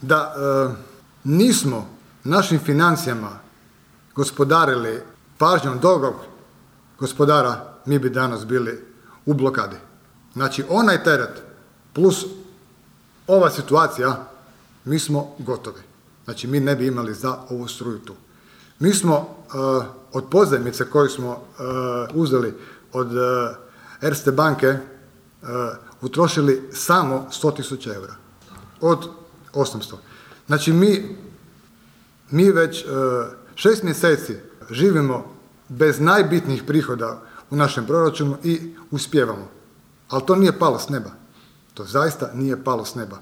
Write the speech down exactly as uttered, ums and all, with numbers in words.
Da e, nismo našim financijama gospodarili pažnjom drugog gospodara, mi bi danas bili u blokadi. Znači, onaj teret plus ova situacija, mi smo gotovi. Znači, mi ne bi imali za ovu struju tu. Mi smo uh, od pozajmice koju smo uh, uzeli od uh, Erste banke uh, utrošili samo sto tisuća eura. Od osamsto. Znači, mi, mi već uh, šest mjeseci živimo bez najbitnijih prihoda u našem proračunu i uspijevamo. Ali to nije palo s neba. To zaista nije palo s neba.